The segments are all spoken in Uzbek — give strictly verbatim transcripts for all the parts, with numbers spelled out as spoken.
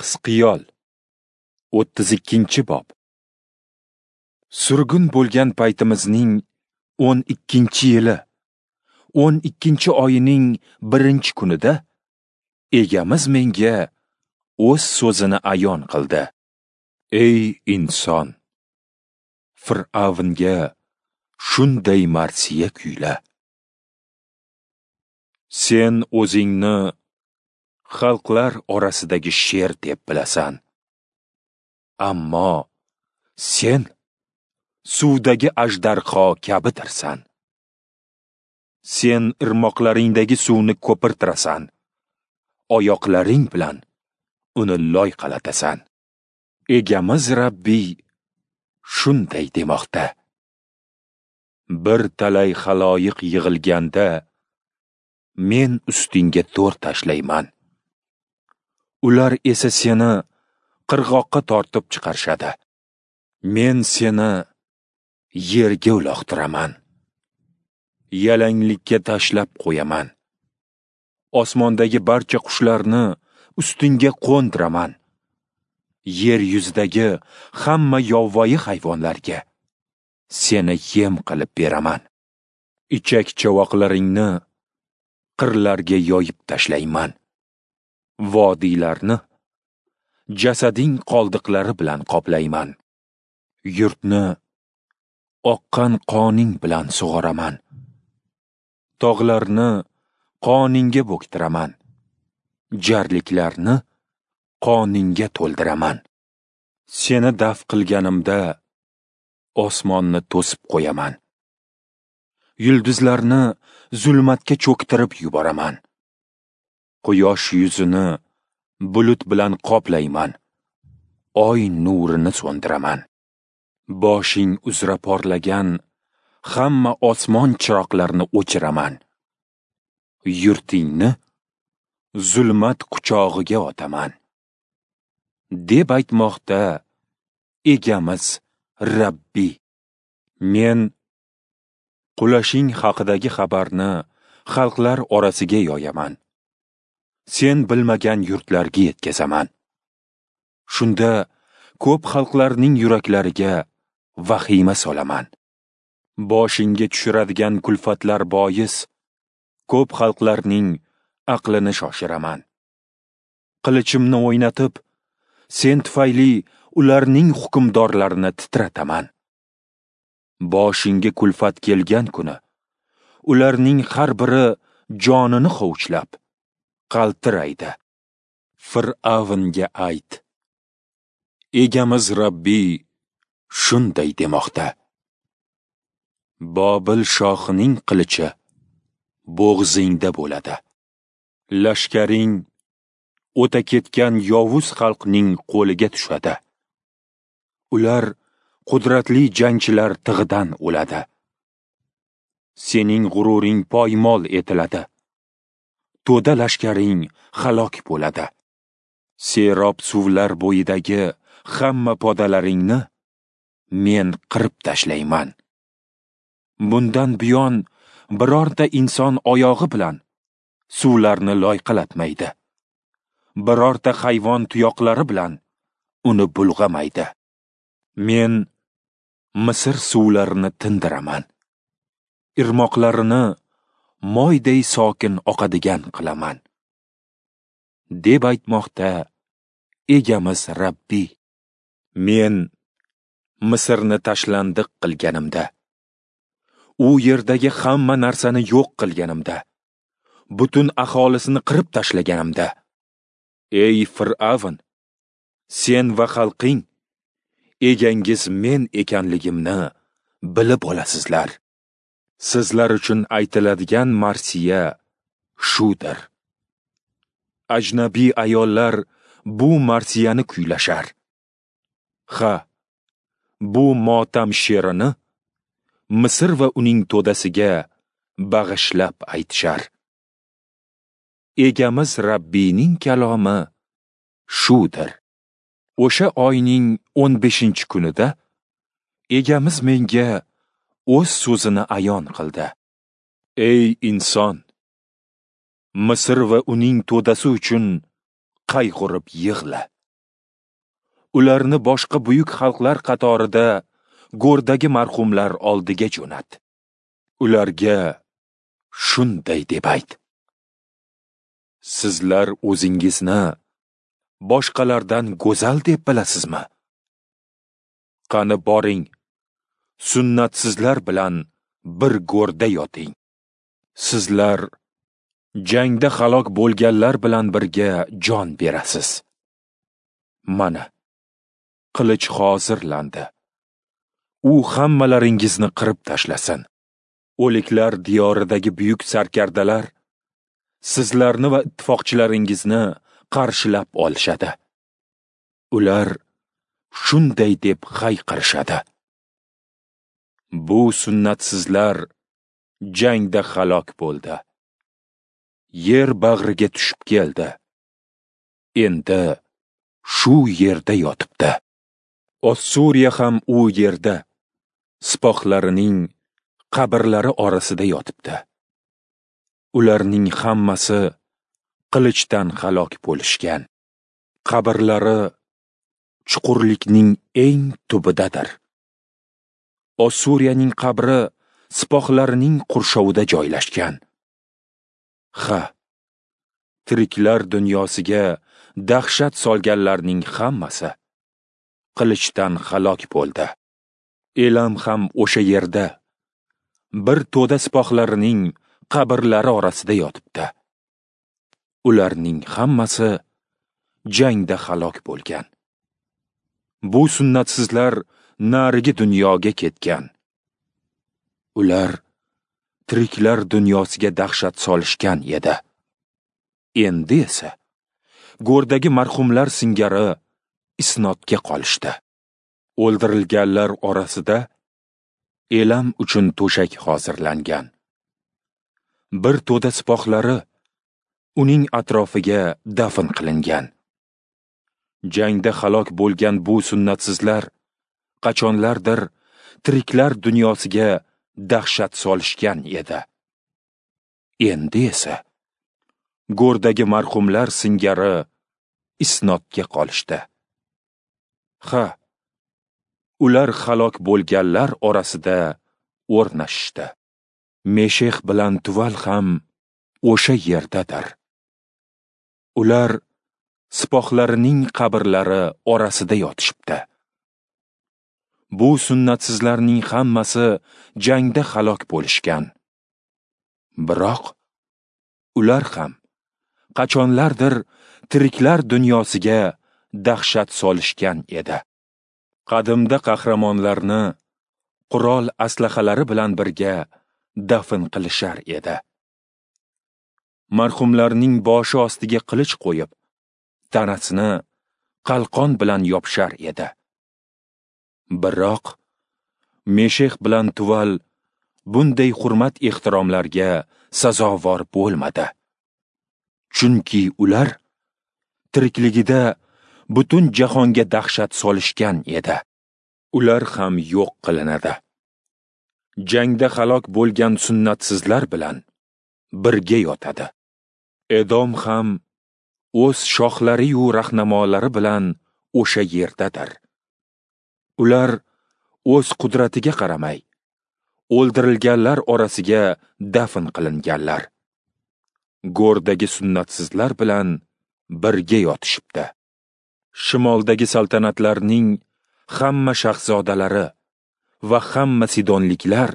Hizqiyol o'ttiz ikkinchi bob. Surgun bo'lgan paytimizning o'n ikkinchi yili, o'n ikkinchi oyining birinchi kunida Egamiz menga o'z so'zini ayon qildi. Ey inson, Fir'avnga shunday marsiya kuyla. Sen o'zingni xalqlar orasidagi sher deb bilasan. Ammo sen suvdagi ajdarho kabidirsan. Sen irmoqlaringdagi suvni ko'pirtirasan, oyoqlaring bilan uni loyqalatasan. Egamiz Rabbiy shunday demoqda: Bir talay xaloyiq yig'ilganda men ustingga to'r tashlayman. Ular esa seni qirg'oqqa tortib chiqarishadi. Men seni yerga uloqtiraman. Yalanglikka tashlab qo'yaman. Osmondagi barcha qushlarni ustingga qo'ndiraman. Yer yuzidagi hamma yovvoyi hayvonlarga seni yem qilib beraman. Ichak chavoqlaringni qirlarga yoyib tashlayman. Vodiylarni jasading qoldiqlari bilan qoplayman. Yurtni oqqan qoning bilan sug'oraman. Tog'larni qoningga bo'ktiraman. Jarliklarni qoningga to'ldiraman. Seni daf qilganimda osmonni to'sib qo'yaman. Yulduzlarni zulmatga cho'ktirib yuboraman. Quyosh yuzini bulut bilan qoplayman. Oy nurini so'ndiraman. Boshing uzra porlagan hamma osmon chiroqlarini o'chiraman. Yurtingni zulmat quchog'iga otaman, deb aytmoqda Egamiz Rabbiy. Men qulashing haqidagi xabarni xalqlar orasiga yoyaman. Sen bilmagan yurtlarga yetkazaman. Shunda ko'p xalqlarning yuraklariga vahima solaman. Boshingga tushiradigan kulfatlar bois ko'p xalqlarning aqlini shoshiraman. Qilichimni o'ynatib, sen tufayli ularning hukmdorlarini titrataman. Boshingga kulfat kelgan kuni ularning har biri jonini hovuchlab qaltiraydi. Fir'avnga ayt: Egamiz Rabbiy shunday demoqda: Bobil shohining qilichi bo'g'zingda bo'ladi. Lashkaring o'ta ketgan yovuz xalqning qo'liga tushadi. Ular qudratli jangchilar tig'idan o'ladi. Sening g'ururing poymol etiladi. To'da lashkaring halok bo'ladi. Serob suvlar bo'yidagi hamma podalaringni men qirib tashlayman. Bundan buyon birorta inson oyog'i bilan suvlarni loyqalatmaydi. Birorta hayvon tuyoqlari bilan uni bulg'amaydi. Men Misr suvlarini tindiraman. Irmoqlarini moyday sokin oqadigan qilaman, deb aytmoqda Egamiz Rabbiy. Men Misrni tashlandiq qilganimda, u yerdagi hamma narsani yo'q qilganimda, butun aholisini qirib tashlaganimda, ey Fir'avn, sen va xalqing egangiz men ekanligimni bilib olasizlar. Sizlar uchun aytiladigan marsiya shudir. Ajnabiy ayollar bu marsiyani kuylashar. Ha, bu motam she'rini Misr va uning to'dasiga bag'ishlab aytishar. Egamiz Rabbiyning kalomi shudir. O'sha oyning o'n beshinchi kunida Egamiz menga o'z so'zini ayon qildi. Ey inson, Misr va uning to'dasi uchun qayg'urib yig'la. Ularni boshqa buyuk xalqlar qatorida go'rdagi marhumlar oldiga jo'nat. Ularga shunday deb ayt: Sizlar o'zingizni boshqalardan go'zal deb bilasizmi? Qani boring, sunnatsizlar bilan bir go'rda yoting. Sizlar jangda halok bo'lganlar bilan birga jon berasiz. Mana, qilich hozirlandi. U hammalaringizni qirib tashlasin. O'liklar diyoridagi buyuk sarkardalar sizlarni va ittifoqchilaringizni qarshilab olishadi. Ular shunday deb hayqirishadi: Bu sunnatsizlar jangda halok bo'ldi. Yer bag'riga tushib keldi. Endi shu yerda yotibdi. Ossuriya ham u yerda, sipohlarining qabrlari orasida yotibdi. Ularning hammasi qilichdan halok bo'lishgan. Qabrlari chuqurlikning eng tubidadir. Ossuriyaning qabri sipohlarining qurshovida joylashgan. Ha, tiriklar dunyosiga dahshat solganlarning hammasi qilichdan halok bo'ldi. Elam ham o'sha yerda, bir to'da sipohlarining qabrlari orasida yotibdi. Ularning hammasi jangda halok bo'lgan. Bu sunnatsizlar narigi dunyoga ketgan. Ular tiriklar dunyosiga dahshat solishgan edi. Endi esa go'rdagi marhumlar singari isnodga qolishdi. O'ldirilganlar orasida Elam uchun to'shak hozirlangan. Bir to'da sipohlari uning atrofiga dafn qilingan. Jangda halok bo'lgan bu sunnatsizlar qachonlardir tiriklar dunyosiga dahshat solishgan edi. Endi esa go'rdagi marhumlar singari isnodga qolishdi. Ha, ular halok bo'lganlar orasida o'rnashishdi. Meshex bilan Tuval ham o'sha yerdadir. Ular sipohlarining qabrlari orasida yotishibdi. Bu sunnatsizlarning hammasi jangda halok bo'lishgan. Biroq ular ham qachonlardir tiriklar dunyosiga dahshat solishgan edi. Qadimda qahramonlarni qurol aslahalari bilan birga dafn qilishar edi. Marhumlarning boshi ostiga qilich qo'yib, tanasini qalqon bilan yopishar edi. Biroq Meshex bilan Tuval bunday hurmat ehtiromlarga sazovor bo'lmadi. Chunki ular tirikligida butun jahonga dahshat solishgan edi. Ular ham yo'q qilinadi. Jangda halok bo'lgan sunnatsizlar bilan birga yotadi. Edom ham o'z shohlari-yu rahnamolari bilan o'sha yerdadir. Ular o'z qudratiga qaramay, o'ldirilganlar orasiga dafn qilinganlar. Go'rdagi sunnatsizlar bilan birga yotishibdi. Shimoldagi saltanatlarning hamma shahzodalari va hamma sidonliklar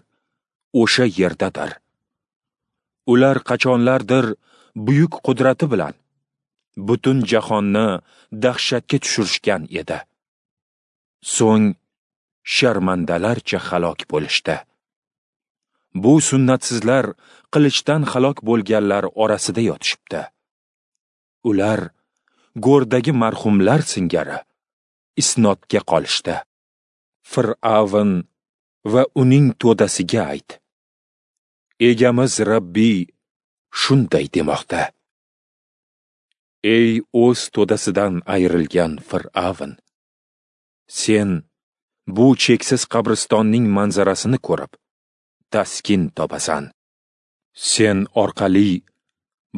o'sha yerdadir. Ular qachonlardir buyuk qudrati bilan butun jahonni dahshatga tushirishgan edi. So'ng sharmandalarcha halok bo'lishdi. Bu sunnatsizlar qilichdan halok bo'lganlar orasida yotishibdi. Ular go'rdagi marhumlar singari isnodga qolishdi. Fir'avn va uning to'dasiga ayt: Egamiz Rabbiy shunday demoqda: Ey o'z to'dasidan ayrilgan Fir'avn, sen bu cheksiz qabristonning manzarasini ko'rib taskin topasan. Sen orqali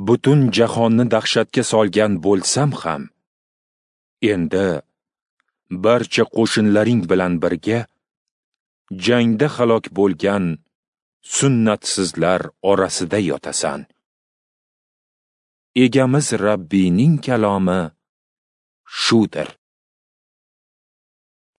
butun jahonni dahshatga solgan bo'lsam ham, endi Barcha qo'shinlaring bilan birga jangda halok bo'lgan sunnatsizlar orasida yotasan. Egamiz Rabbiyning kalomi shudir.